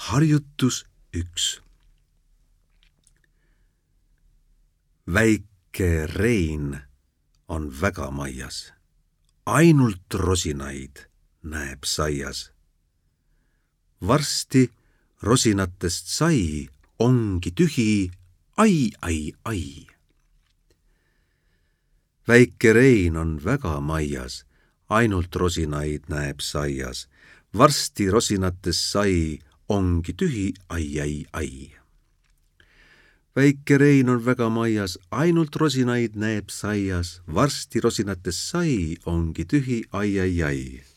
Harjutus 1. Väike Rein on väga maias. Ainult rosinaid näeb saias. Varsti rosinatest sai ongi tühi, ai, ai, ai. Väike Rein on väga maias. Ainult rosinaid näeb saias. Varsti rosinatest sai ongi tühi, ai, ai, ai. Väike Rein on väga maias, ainult rosinaid näeb saias. Varsti rosinatest sai ongi tühi, ai, ai, ai.